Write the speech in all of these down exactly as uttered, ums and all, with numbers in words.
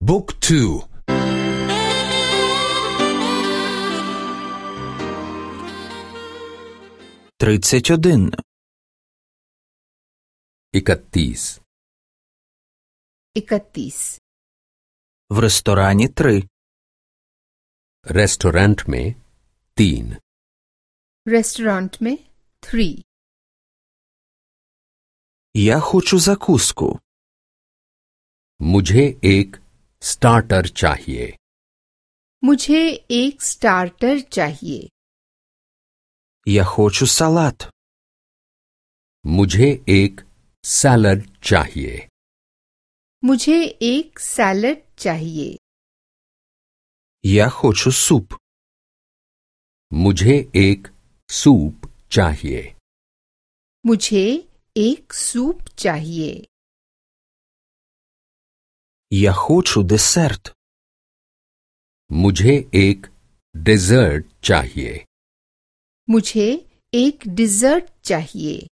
Book two. тридцять один. इकतीस इकतीस В ресторані три. रेस्टोरेंट में तीन रेस्टोरेंट में थ्री Я хочу закуску. मुझे एक स्टार्टर चाहिए मुझे एक स्टार्टर चाहिए Я хочу салат. मुझे एक सैलड चाहिए मुझे एक सैलड चाहिए Я хочу суп. मुझे एक सूप चाहिए मुझे एक सूप चाहिए Я хочу десерт. मुझे एक डेजर्ट चाहिए मुझे एक डिजर्ट चाहिए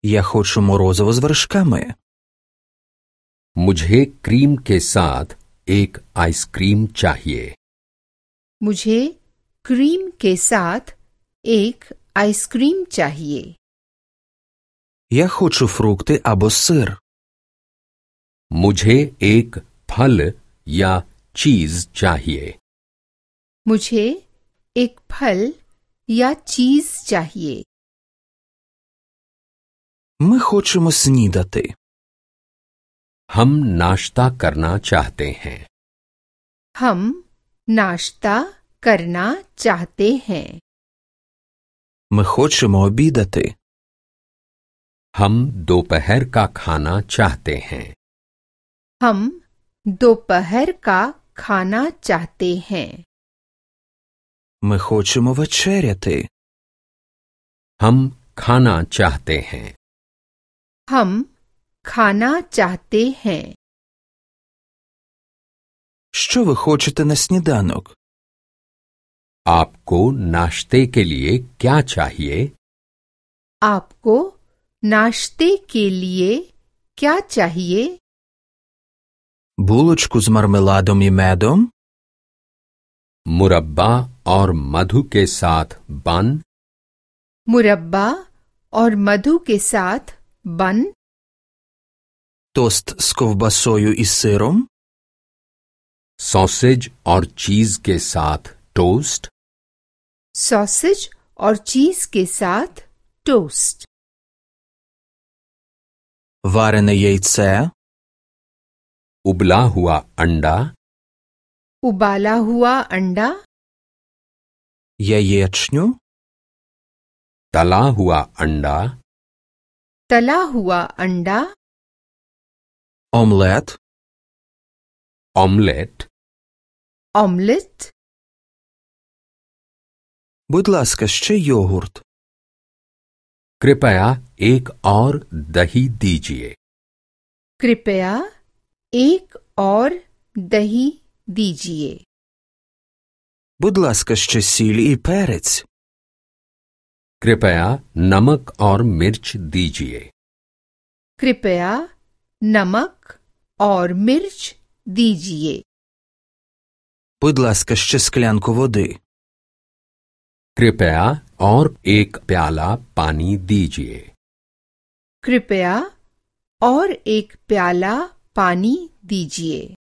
Я хочу морозиво з вершками. मुझे क्रीम के साथ एक आइसक्रीम चाहिए मुझे क्रीम के साथ एक आइसक्रीम चाहिए Я хочу фрукти або сир. मुझे एक फल या चीज चाहिए मुझे एक फल या चीज चाहिए Ми хочемо снідати. हम नाश्ता करना चाहते हैं हम नाश्ता करना चाहते हैं Ми хочемо обідати. हम दोपहर का खाना चाहते हैं हम दोपहर का खाना चाहते हैं Ми хочемо вечеряти. हम खाना चाहते हैं हम खाना चाहते हैं Що ви хочете на сніданок? आपको नाश्ते के लिए क्या चाहिए आपको नाश्ते के लिए क्या चाहिए Булочку з мармеладом і медом? मुरब्बा और मधु के साथ बन मुरब्बा और मधु के साथ बन Тост з ковбасою і сиром? सॉसेज और चीज के साथ टोस्ट सॉसेज और चीज के साथ टोस्ट Варене яйце? उबला हुआ अंडा उबाला हुआ अंडा Яєчню? तला हुआ अंडा तला हुआ अंडा Омлет? Omelette omelette Будь ласка, ще йогурт. कृपया एक और दही दीजिए कृपया एक और दही दीजिए Будь ласка, ще сіль і перець. कृपया नमक और मिर्च दीजिए कृपया नमक और मिर्च दीजिए Будь ласка, ще склянку води. कृपया और एक प्याला पानी दीजिए कृपया और एक प्याला पानी दीजिए